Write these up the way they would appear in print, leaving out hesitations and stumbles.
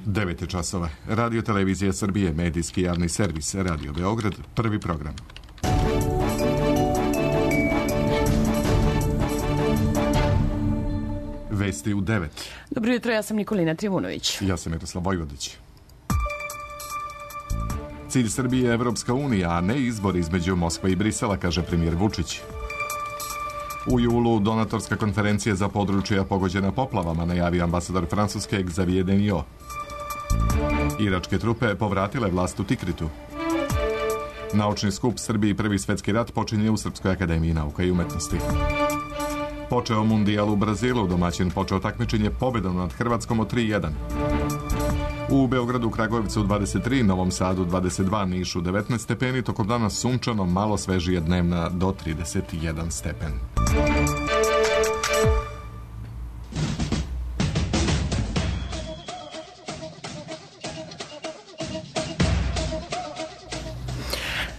9 časova. Radio Televizija Srbije, medijski javni servis, Radio Beograd, prvi program. Vesti u 9. Dobro jutro, ja sam Nikolina Trivunović. Ja sam Miroslav Vojvodić. Cilj Srbije je Evropska unija, a ne izbor između Moskve i Brisela, kaže premijer Vučić. U julu donatorska konferencija za područja pogođena poplavama, najavio ambasador Francuske Xavier Deniot. Iračke trupe povratile vlast u Tikritu. Naučni skup Srbiji prvi svetski rat počinje u Srpskoj akademiji nauka i umetnosti. Počeo mundijal u Brazilu, domaćin počeo takmičenje pobedom nad Hrvatskom od 3:1. U Beogradu, Kragujevcu 23, Novom Sadu 22, Nišu 19 stepeni, tokom dana sunčano, malo svežije dnevna do 31 stepen.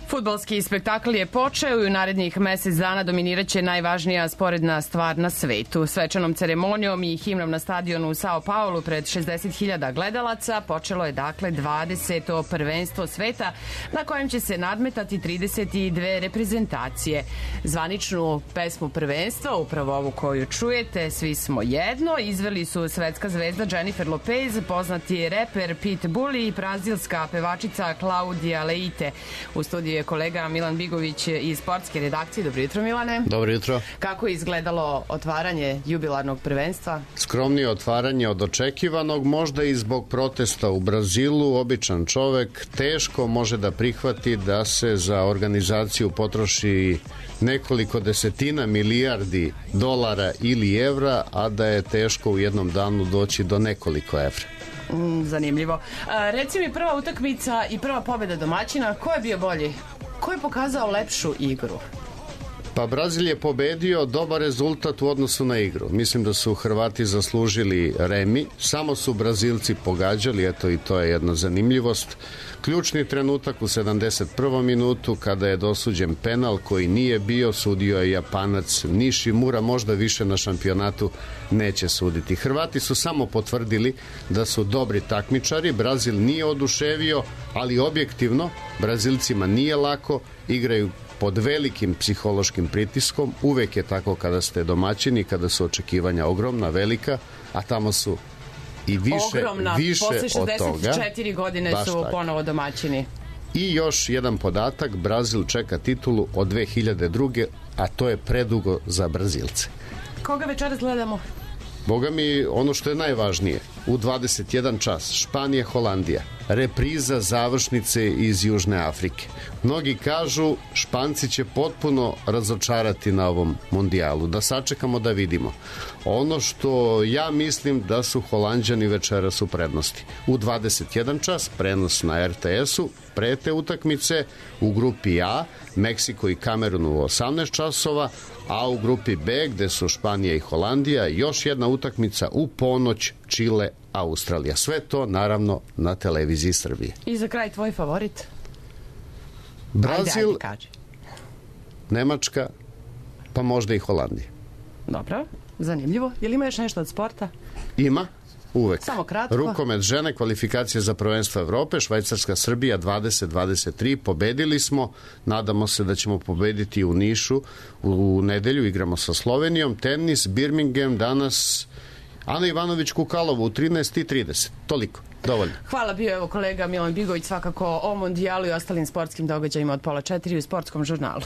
Fudbalski spektakl je počeo i u narednih mesec dana dominiraće najvažnija sporedna stvar na svetu. Svečanom ceremonijom i himnom na stadionu u Sao Paulu pred 60.000 gledalaca počelo je dakle 20. prvenstvo sveta na kojem će se nadmetati 32 reprezentacije. Zvaničnu pesmu prvenstva, upravo ovu koju čujete, Svi smo jedno, izveli su svetska zvezda Jennifer Lopez, poznati reper Pitbull i brazilska pevačica Claudia Leite. U studiju je kolega Milan Bigović iz sportske redakcije. Dobro jutro, Milane. Dobro jutro. Kako je izgledalo otvaranje jubilarnog prvenstva? Skromnije otvaranje od očekivanog, možda i zbog protesta u Brazilu. Običan čovek teško može da prihvati da se za organizaciju potroši nekoliko desetina milijardi dolara ili evra, a da je teško u jednom danu doći do nekoliko evra. Zanimljivo. Reci mi, prva utakmica i prva pobjeda domaćina, ko je bio bolji? Ko je pokazao lepšu igru? Pa Brazil je pobedio, dobar rezultat u odnosu na igru. Mislim da su Hrvati zaslužili remi, samo su Brazilci pogađali, eto i to je jedna zanimljivost. Ključni trenutak u 71. minutu kada je dosuđen penal koji nije bio, sudio je Japanac Nishimura, možda više na šampionatu neće suditi. Hrvati su samo potvrdili da su dobri takmičari, Brazil nije oduševio, ali objektivno Brazilcima nije lako, igraju pod velikim psihološkim pritiskom, uvek je tako kada ste domaćini, kada su očekivanja ogromna, velika, a tamo su i više posle od toga. 64 godine baš su tako. Ponovo domaćini. I još jedan podatak, Brazil čeka titulu od 2002. a to je predugo za Brazilce. Koga večeras gledamo? Boga mi, ono što je najvažnije, u 21 čas, Španija, Holandija, repriza završnice iz Južne Afrike. Mnogi kažu, Španci će potpuno razočarati na ovom mundijalu, da sačekamo da vidimo. Ono što ja mislim da su Holanđani večeras u prednosti. U 21 čas, prenos na RTS-u, pre te utakmice, u grupi A, Meksiko i Kamerun u 18 časova, a u grupi B, gde su Španija i Holandija, još jedna utakmica u ponoć, Čile, Australija. Sve to, naravno, na televiziji Srbije. I za kraj tvoj favorit? Brazil, ajde, kaži. Nemačka, pa možda i Holandija. Dobro, zanimljivo. Je li ima još nešto od sporta? Ima, uvek. Samo kratko. Rukomet žene, kvalifikacije za prvenstvo Evrope, Švajcarska, Srbija 20-23, pobedili smo, nadamo se da ćemo pobediti u Nišu, u nedelju igramo sa Slovenijom, tenis, Birmingham, danas Ana Ivanović Kukalovo u 13:30, toliko. Dovoljno. Hvala, bio evo kolega Milan Bigović svakako o mondijalu i ostalim sportskim događajima od 3:30 u sportskom žurnalu.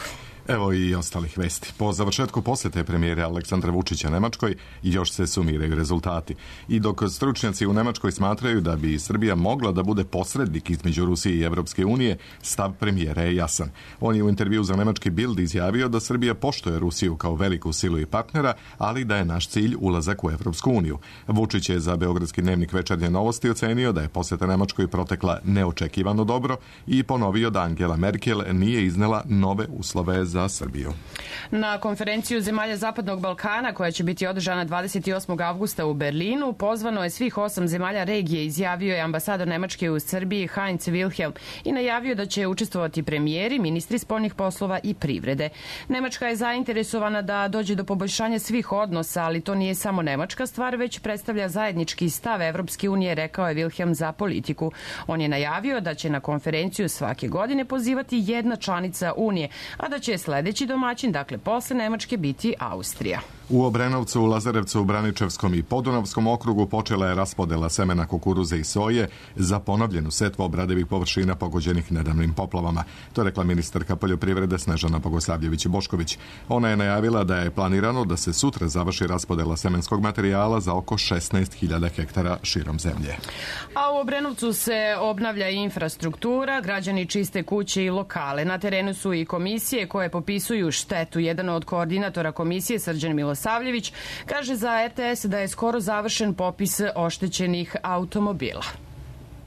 Evo i ostalih vesti. Po završetku posjete premijere Aleksandra Vučića Nemačkoj još se sumiraju rezultati. I dok stručnjaci u Nemačkoj smatraju da bi Srbija mogla da bude posrednik između Rusije i Evropske unije, stav premijera je jasan. On je u intervju za nemački Bild izjavio da Srbija poštuje Rusiju kao veliku silu i partnera, ali da je naš cilj ulazak u Evropsku uniju. Vučić je za beogradski dnevnik Večernje novosti ocenio da je posjeta Nemačkoj protekla neočekivano dobro i ponovio da Angela Merkel nije iznela nove uslove za za Srbiju. Na konferenciju zemalja Zapadnog Balkana, koja će biti održana 28. avgusta u Berlinu, pozvano je svih 8 zemalja regije, izjavio je ambasador Nemačke u Srbiji Heinz Wilhelm i najavio da će učestvovati premijeri, ministri spoljnih poslova i privrede. Nemačka je zainteresovana da dođe do poboljšanja svih odnosa, ali to nije samo nemačka stvar, već predstavlja zajednički stav Evropske unije, rekao je Wilhelm za Politiku. On je najavio da će na konferenciju svake godine pozivati jedna članica Unije, a da će sledeći domaćin, dakle posle Nemačke, biti Austrija. U Obrenovcu, Lazarevcu, Braničevskom i Podunavskom okrugu počela je raspodela semena kukuruze i soje za ponovljenu setvu obradivih površina pogođenih nedavnim poplavama. To je rekla ministarka poljoprivrede Snežana Bogosavljević-Bošković. Ona je najavila da je planirano da se sutra završi raspodela semenskog materijala za oko 16.000 hektara širom zemlje. A u Obrenovcu se obnavlja infrastruktura, građani čiste kuće i lokale. Na terenu su i komisije koje popisuju štetu. Jedan od koordinatora komisije, Srđan Milosavljević, kaže za RTS da je skoro završen popis oštećenih automobila.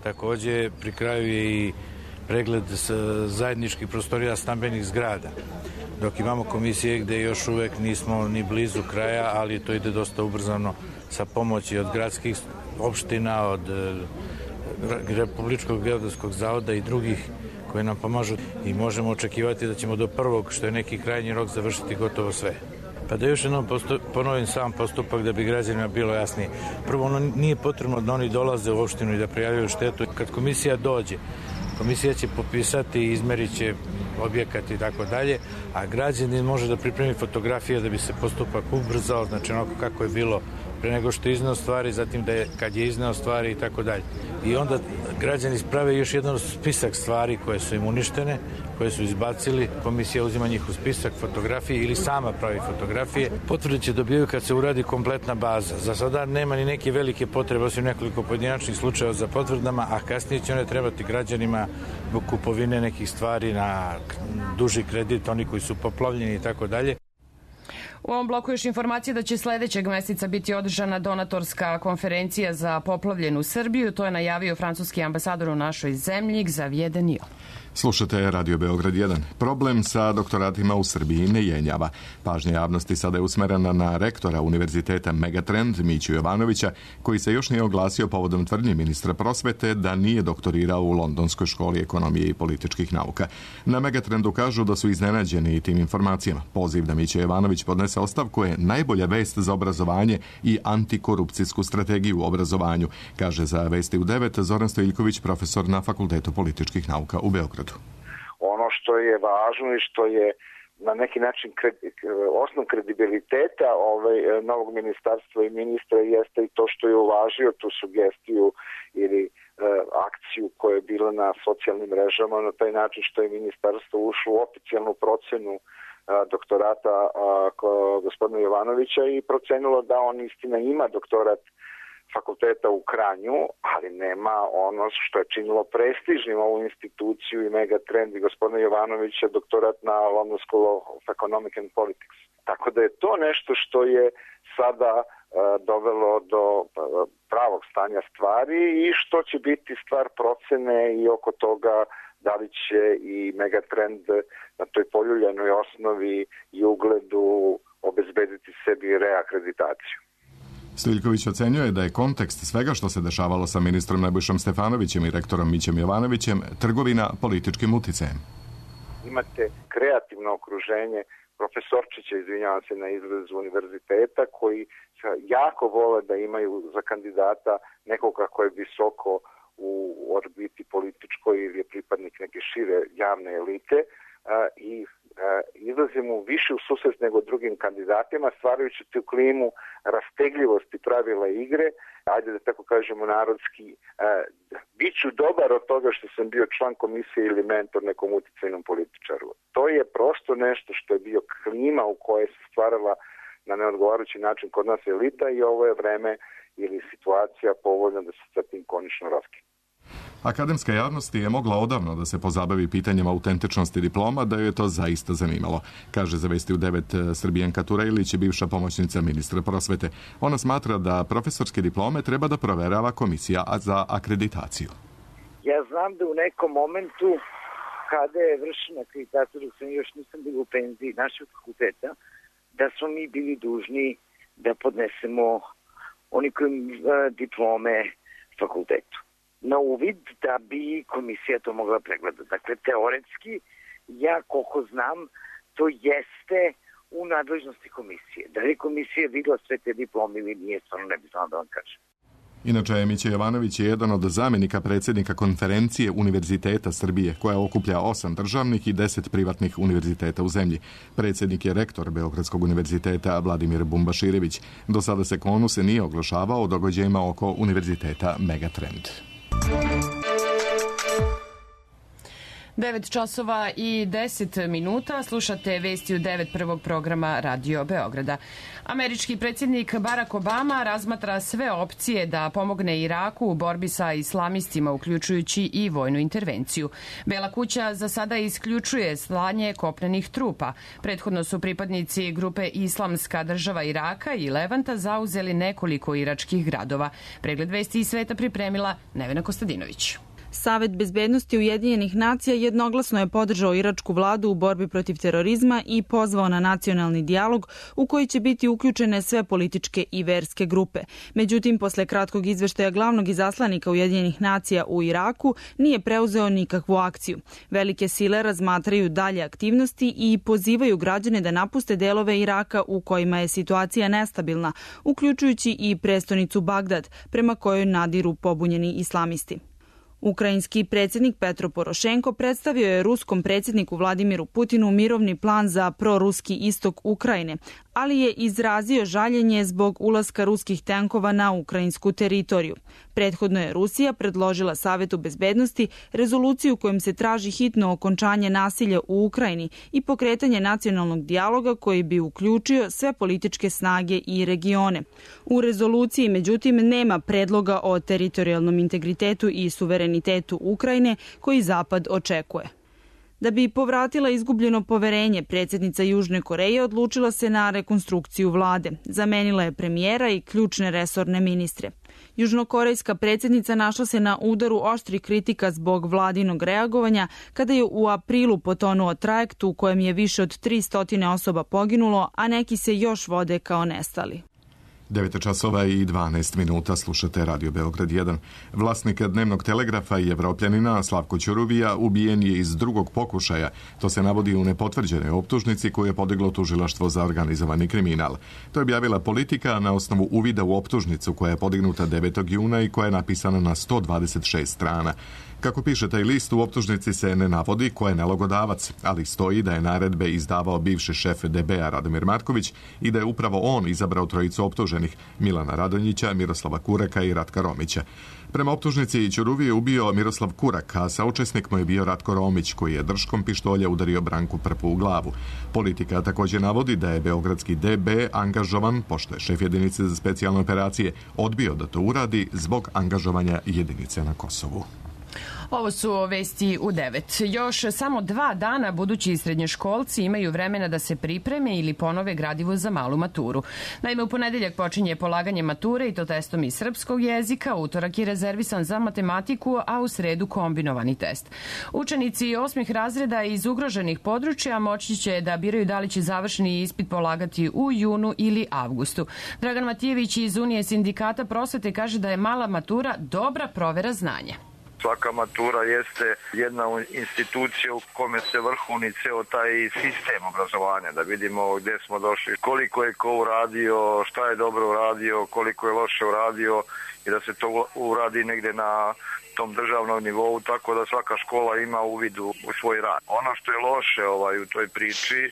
Takođe, pri kraju je i pregled zajedničkih prostorija stambenih zgrada. Dok imamo komisije gde još uvek nismo ni blizu kraja, ali to ide dosta ubrzano sa pomoći od gradskih opština, od Republičkog geodetskog zavoda i drugih koji nam pomažu i možemo očekivati da ćemo do prvog, što je neki krajnji rok, završiti gotovo sve. Pa da još jednom ponovim sam postupak da bi građanima bilo jasnije. Prvo, ono nije potrebno da oni dolaze u opštinu i da prijavljaju štetu. Kad komisija dođe, komisija će popisati, izmerit će objekat i tako dalje, a građanin može da pripremi fotografije da bi se postupak ubrzao, znači onako kako je bilo pre nego što je izneo stvari, zatim da je kad je izneo stvari i tako dalje. I onda građani sprave još jedan spisak stvari koje su im uništene, koje su izbacili, komisija uzima njih u spisak fotografije ili sama pravi fotografije. Potvrde će dobijaju kad se uradi kompletna baza. Za sada nema ni neke velike potrebe, osim nekoliko pojedinačnih slučajeva za potvrdama, a kasnije će one trebati građanima zbog kupovine nekih stvari na duži kredit, oni koji su poplavljeni i tako dalje. U ovom bloku još informacije da će sledećeg meseca biti održana donatorska konferencija za poplavljenu Srbiju. To je najavio francuski ambasador u našoj zemlji, Xavier Deniot. Slušate Radio Beograd 1. Problem sa doktoratima u Srbiji ne jenjava. Pažnja javnosti sada je usmerena na rektora Univerziteta Megatrend Miću Jovanovića, koji se još nije oglasio povodom tvrdnji ministra prosvete da nije doktorirao u Londonskoj školi ekonomije i političkih nauka. Na Megatrendu kažu da su iznenađeni tim informacijama. Poziv da Mića Jovanović podnese ostavku je najbolja vest za obrazovanje i antikorupcijsku strategiju u obrazovanju, kaže za Vesti u 9 Zoran Stojiljković, profesor na Fakultetu političkih nauka u Beogradu. Ono što je važno i što je na neki način osnov kredibiliteta novog ministarstva i ministra jeste i to što je uvažio tu sugestiju ili akciju koja je bila na socijalnim mrežama na taj način što je ministarstvo ušlo u oficijalnu procenu doktorata gospodina Jovanovića i procenilo da on istina ima doktorat fakulteta u Kranju, ali nema ono što je činilo prestižnim ovu instituciju i Megatrend i gospodina Jovanovića doktorat na London School of Economic and Politics. Tako da je to nešto što je sada dovelo do pravog stanja stvari i što će biti stvar procene i oko toga da li će i Megatrend na toj poljuljanoj osnovi i ugledu obezbediti sebi reakreditaciju. Stojiljković ocenjuje da je kontekst svega što se dešavalo sa ministrom Nebojšom Stefanovićem i rektorom Mićem Jovanovićem trgovina političkim uticajem. Imate kreativno okruženje profesorčića, izvinjavam se na izrazu univerziteta, koji jako vole da imaju za kandidata nekoga ko je visoko u orbiti političkoj ili je pripadnik neke šire javne elite i izlazi mu više u susret nego drugim kandidatima, stvarajući tu klimu rastegljivosti pravila igre, ajde da tako kažemo narodski, biću dobar od toga što sam bio član komisije ili mentor nekom uticajnom političaru. To je prosto nešto što je bio klima u kojoj se stvarala na neodgovarajući način kod nas elita i ovo je vreme ili situacija povoljna da se sa tim konačno raskine. Akademska javnost je mogla odavno da se pozabavi pitanjem autentičnosti diploma, da joj je to zaista zanimalo, kaže za Vesti u 9 Srbijanka Turejlić, bivša pomoćnica ministra prosvete. Ona smatra da profesorske diplome treba da proverava komisija za akreditaciju. Ja znam da u nekom momentu kada je vršena akreditacija, dok sam još nisam bila u penziji našeg fakulteta, da smo mi bili dužni da podnesemo unikum diplome fakultetu na uvid da bi komisija to mogla pregledati. Dakle, teoretski, ja koliko znam, to jeste u nadležnosti komisije. Da li komisija videla sve te diplome ili nije, stvarno ne bi znala da vam kažem. Inače, Mića Jovanović je jedan od zamjenika predsjednika konferencije Univerziteta Srbije, koja okuplja 8 državnih i 10 privatnih univerziteta u zemlji. Predsjednik je rektor Beogradskog univerziteta Vladimir Bumbaširević. Do sada se KONU se nije oglašavao o događajima oko univerziteta Megatrend. 9 časova i 10 minuta. Slušate vesti u 9 prvog programa Radio Beograda. Američki predsjednik Barack Obama razmatra sve opcije da pomogne Iraku u borbi sa islamistima, uključujući i vojnu intervenciju. Bela kuća za sada isključuje slanje kopnenih trupa. Prethodno su pripadnici grupe Islamska država Iraka i Levanta zauzeli nekoliko iračkih gradova. Pregled vesti iz sveta pripremila Nevena Kostadinović. Savet bezbednosti Ujedinjenih nacija jednoglasno je podržao iračku vladu u borbi protiv terorizma i pozvao na nacionalni dijalog u koji će biti uključene sve političke i verske grupe. Međutim, posle kratkog izveštaja glavnog izaslanika Ujedinjenih nacija u Iraku nije preuzeo nikakvu akciju. Velike sile razmatraju dalje aktivnosti i pozivaju građane da napuste delove Iraka u kojima je situacija nestabilna, uključujući i prestonicu Bagdad, prema kojoj nadiru pobunjeni islamisti. Ukrajinski predsjednik Petro Porošenko predstavio je ruskom predsjedniku Vladimiru Putinu mirovni plan za proruski istok Ukrajine, ali je izrazio žaljenje zbog ulaska ruskih tenkova na ukrajinsku teritoriju. Prethodno je Rusija predložila Savetu bezbednosti rezoluciju kojom se traži hitno okončanje nasilja u Ukrajini i pokretanje nacionalnog dijaloga koji bi uključio sve političke snage i regione. U rezoluciji, međutim, nema predloga o teritorijalnom integritetu i suverenitetu Ukrajine koji Zapad očekuje. Da bi povratila izgubljeno poverenje, predsjednica Južne Koreje odlučila se na rekonstrukciju vlade. Zamenila je premijera i ključne resorne ministre. Južnokorejska predsjednica našla se na udaru oštrih kritika zbog vladinog reagovanja kada je u aprilu potonuo trajekt u kojem je više od 300 osoba poginulo, a neki se još vode kao nestali. 9 časova i 12 minuta, slušate Radio Beograd 1. Vlasnik dnevnog telegrafa i Evropljanina Slavko Ćuruvija ubijen je iz drugog pokušaja. To se navodi u nepotvrđenoj optužnici koju je podiglo tužilaštvo za organizovani kriminal. To je objavila Politika na osnovu uvida u optužnicu koja je podignuta 9. juna i koja je napisana na 126 strana. Kako piše taj list, u optužnici se ne navodi ko je nalogodavac, ali stoji da je naredbe izdavao bivši šef DB-a Radomir Marković i da je upravo on izabrao trojicu optuženih, Milana Radonjića, Miroslava Kureka i Ratka Romića. Prema optužnici Ćuruvi je ubio Miroslav Kurak, a saučesnik mu je bio Ratko Romić, koji je držkom pištolja udario Branku Prpu u glavu. Politika također navodi da je beogradski DB angažovan, pošto je šef jedinice za specijalne operacije odbio da to uradi zbog angažovanja jedinice na Kosovu. Ovo su vesti u 9. Još samo 2 dana budući srednjoškolci imaju vremena da se pripreme ili ponove gradivo za malu maturu. Naime, u ponedeljak počinje polaganje mature i to testom iz srpskog jezika, utorak je rezervisan za matematiku, a u sredu kombinovani test. Učenici 8. razreda iz ugroženih područja moći će da biraju da li će završni ispit polagati u junu ili avgustu. Dragan Matijević iz Unije sindikata prosvete kaže da je mala matura dobra provera znanja. Svaka matura jeste jedna institucija u kome se vrhuni ceo taj sistem obrazovanja, da vidimo gdje smo došli, koliko je ko uradio, šta je dobro uradio, koliko je loše uradio i da se to uradi negdje na tom državnom nivou, tako da svaka škola ima uvid u svoj rad. Ono što je loše u toj priči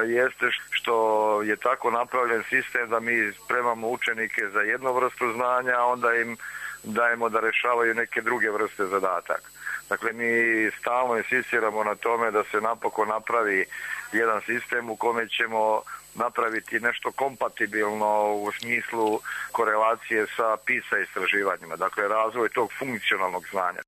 jeste što je tako napravljen sistem da mi spremamo učenike za jednu vrstu znanja, a onda im dajemo da rešavaju neke druge vrste zadataka. Dakle, mi stalno insistiramo na tome da se napokon napravi jedan sistem u kome ćemo napraviti nešto kompatibilno u smislu korelacije sa PISA istraživanjima, dakle razvoj tog funkcionalnog znanja.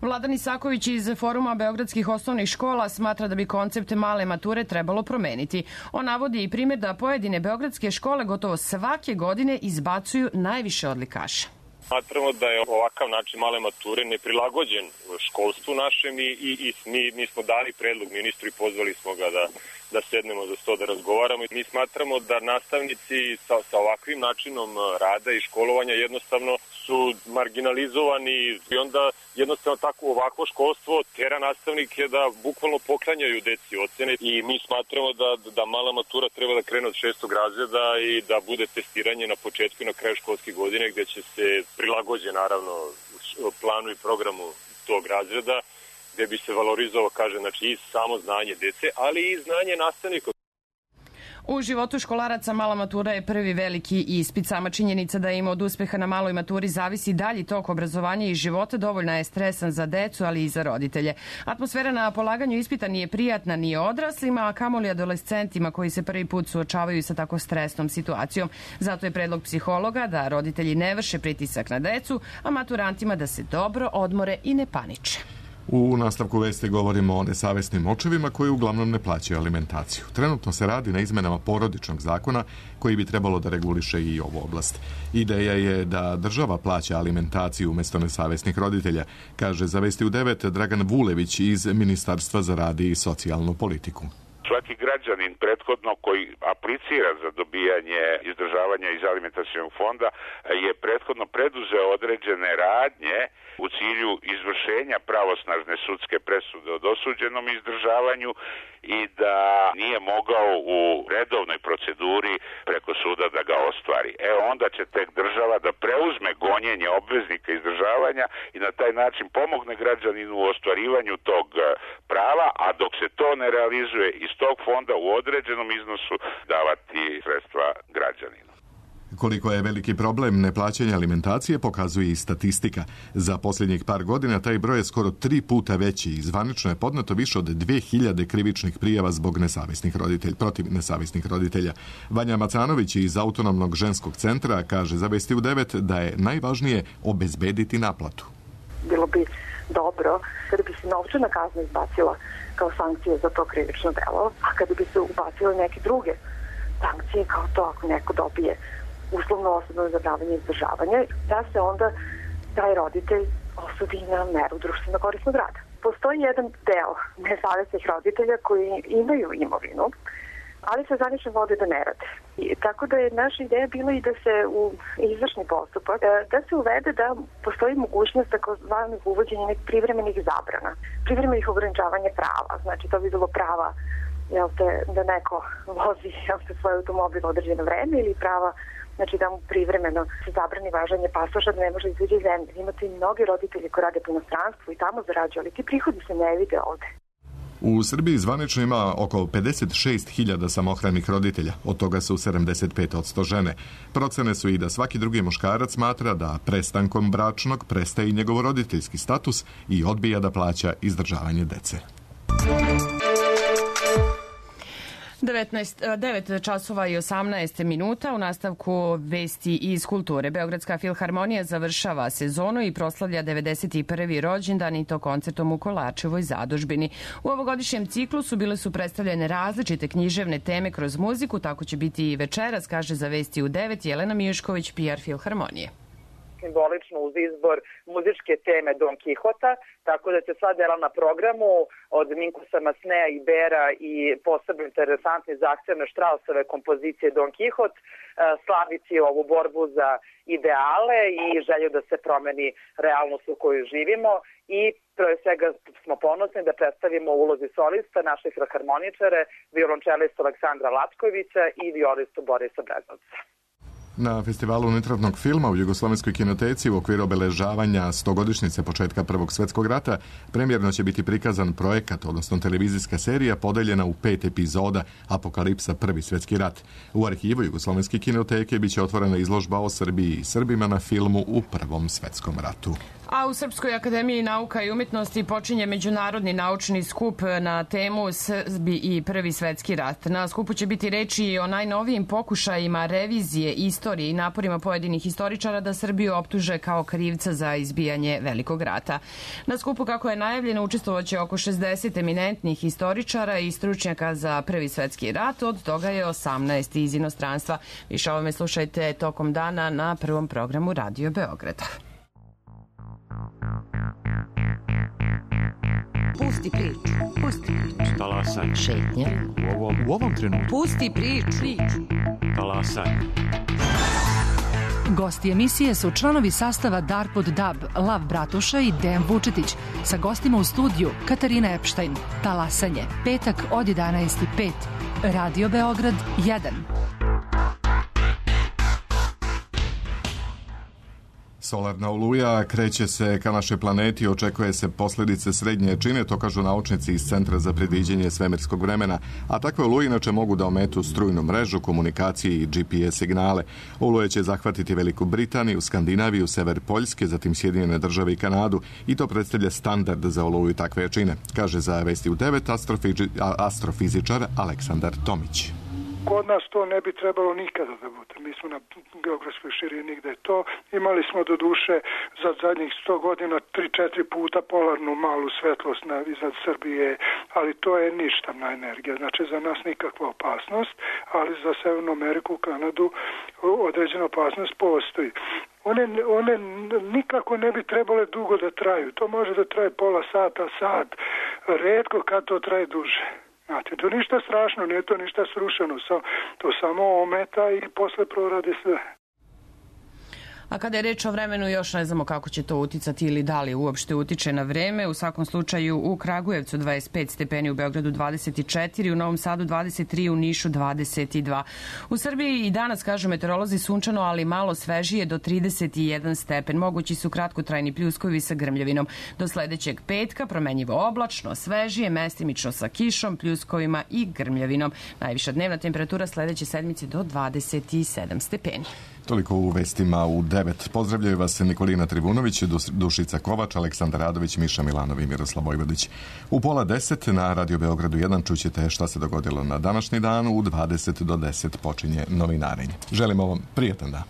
Vladan Isaković iz Foruma beogradskih osnovnih škola smatra da bi koncept male mature trebalo promeniti. On navodi i primjer da pojedine beogradske škole gotovo svake godine izbacuju najviše odlikaša. Smatramo da je ovakav način male mature neprilagođen školstvu našem i mi smo dali predlog ministru i pozvali smo ga da sednemo za sto da razgovaramo. Mi smatramo da nastavnici sa ovakvim načinom rada i školovanja jednostavno su marginalizovani i onda jednostavno tako ovakvo školstvo tera nastavnike da bukvalno poklanjaju deci ocene i mi smatramo da mala matura treba da krene od 6. razreda i da bude testiranje na početku i na kraju školske godine gde će se prilagođen naravno planu i programu tog razreda gde bi se valorizovao, znači i samo znanje dece, ali i znanje nastavnika. U životu školaraca mala matura je prvi veliki ispit. Sama činjenica da im od uspeha na maloj maturi zavisi dalji tok obrazovanja i života dovoljna je stresan za decu, ali i za roditelje. Atmosfera na polaganju ispita nije prijatna ni odraslima, a kamoli adolescentima koji se prvi put suočavaju sa tako stresnom situacijom. Zato je predlog psihologa da roditelji ne vrše pritisak na decu, a maturantima da se dobro odmore i ne paniče. U nastavku vesti govorimo o nesavesnim očevima koji uglavnom ne plaćaju alimentaciju. Trenutno se radi na izmenama porodičnog zakona koji bi trebalo da reguliše i ovu oblast. Ideja je da država plaća alimentaciju umjesto nesavesnih roditelja, kaže za Vesti u 9 Dragan Vulević iz Ministarstva za rad i socijalnu politiku. Svaki građanin prethodno koji aplicira za dobijanje izdržavanja iz alimentacionog fonda je prethodno preduzeo određene radnje u cilju izvršenja pravosnažne sudske presude o dosuđenom izdržavanju i da nije mogao u redovnoj proceduri preko suda da ga ostvari. Onda će tek država da preuzme gonjenje obveznika izdržavanja i na taj način pomogne građaninu u ostvarivanju tog prava, a dok se to ne realizuje iz tog fonda u određenom iznosu davati sredstva građaninu. Koliko je veliki problem neplaćanja alimentacije pokazuje i statistika. Za posljednjih par godina taj broj je skoro 3 puta veći i zvanično je podneto više od 2000 krivičnih prijava zbog protiv nesavesnih roditelja. Vanja Macanović iz Autonomnog ženskog centra kaže za Vesti u 9 da je najvažnije obezbediti naplatu. Bilo bi dobro kada bi se novčana kazna izbacila kao sankcija za to krivično delo, a kada bi se ubacile neke druge sankcije kao to ako neko dobije uslovno osobno zadavanje izdržavanja, da se onda taj roditelj osudi na meru društveno korisnog rada. Postoji jedan deo nesavesnih roditelja koji imaju imovinu, ali se zvanično vode da ne rade. Tako da je naša ideja bila i da se u izvršni postupak, da se uvede da postoji mogućnost takozvanog uvođenja nekih privremenih zabrana, privremenih ograničavanja prava. Znači to bi bilo prava da neko vozi svoj automobil određeno vreme ili prava da mu privremeno se zabrani važenje pasoša da ne može izaći iz zemlje. Imate i mnogi roditelji koji rade po inostranstvu i tamo zarađuju, ali ti prihodi se ne vide ovde. U Srbiji zvanično ima oko 56.000 samohranih roditelja, od toga su 75% žene. Procene su i da svaki drugi muškarac smatra da prestankom bračnog prestaje i njegov roditeljski status i odbija da plaća izdržavanje dece. 9 časova i 18 minuta u nastavku vesti iz kulture. Beogradska filharmonija završava sezonu i proslavlja 91. rođendan i to koncertom u Kolarčevoj zadužbini. U ovogodišnjem ciklusu bile su predstavljene različite književne teme kroz muziku, tako će biti i večeras, kaže za Vesti u 9 Jelena Mijušković, PR Filharmonije. Simbolično uz izbor muzičke teme Don Kihota, tako da će sva dela na programu od Minkusa Masneja i Bera i posebno interesantne i zahtevne Štrausove kompozicije Don Kihot slaviti ovu borbu za ideale i želju da se promeni realnost u kojoj živimo i pre svega smo ponosni da predstavimo u ulozi solista naše filharmoničare, violončelistu Aleksandra Latkovića i violistu Borisa Brezovca. Na festivalu unutrašnjeg filma u Jugoslovenskoj kinoteci u okviru obeležavanja 100-godišnjice početka Prvog svjetskog rata premjerno će biti prikazan projekat, odnosno televizijska serija podeljena u 5 epizoda Apokalipsa Prvi svjetski rat. U arhivu Jugoslovenske kinoteke biće otvorena izložba o Srbiji i Srbima na filmu u Prvom svjetskom ratu. A u Srpskoj akademiji nauka i umjetnosti počinje međunarodni naučni skup na temu Srbi i Prvi svetski rat. Na skupu će biti reči i o najnovijim pokušajima revizije istorije i naporima pojedinih historičara da Srbiju optuže kao krivca za izbijanje Velikog rata. Na skupu, kako je najavljeno, učestvovaće oko 60 eminentnih historičara i stručnjaka za Prvi svetski rat, od toga je 18 iz inostranstva. Više o ovome slušajte tokom dana na prvom programu Radio Beograda. Pusti priču. Pusti priču. Talasaj. Šetnja. U ovom trenutku. Pusti priču. Talasaj. Gosti emisije su članovi sastava Darpod Dab, Lav Bratuša i Dejan Vučetić. Sa gostima u studiju Katarina Epštajn. Talasanje. Petak od 11:05. Radio Beograd 1. Solarna oluja kreće se ka našoj planeti, očekuje se posljedice srednje jačine, to kažu naučnici iz Centra za predviđanje svemirskog vremena, a takve oluje inače mogu da ometu strujnu mrežu, komunikacije i GPS signale. Oluje će zahvatiti Veliku Britaniju, Skandinaviju, sever Poljske, zatim Sjedinjene države i Kanadu, i to predstavlja standard za oluju takve jačine, kaže za Vesti u 9 astrofizičar Aleksandar Tomić. Kod nas to ne bi trebalo nikada da bude. Mi smo na geografskoj širini gde je to. Imali smo do duše za zadnjih 100 godina 3-4 puta polarnu malu svetlost iznad Srbije, ali to je ništavna energija. Znači za nas nikakva opasnost, ali za Severnu Ameriku, Kanadu određena opasnost postoji. One nikako ne bi trebale dugo da traju. To može da traje pola sata, sat. Retko kad to traje duže. Znate, to ništa strašno, nije to ništa srušeno, to samo ometa i posle prorade sve. A kada je reč o vremenu, još ne znamo kako će to uticati ili da li uopšte utiče na vreme. U svakom slučaju u Kragujevcu 25 stepeni, u Beogradu 24, u Novom Sadu 23, u Nišu 22. U Srbiji i danas, kažu meteorolozi, sunčano, ali malo svežije do 31 stepen. Mogući su kratkotrajni pljuskovi sa grmljavinom. Do sledećeg petka promenjivo oblačno, svežije, mestimično sa kišom, pljuskovima i grmljavinom. Najviša dnevna temperatura sledeće sedmice do 27 stepeni. Toliko u vestima u 9. Pozdravljaju vas Nikolina Trivunović, Dušica Kovač, Aleksandar Radović, Miša Milanov i Miroslav Vojvodić. U pola 10 na Radio Beogradu 1 čućete šta se dogodilo na današnji dan. U 20 do 10 počinje novinarenje. Želimo vam prijetan dan.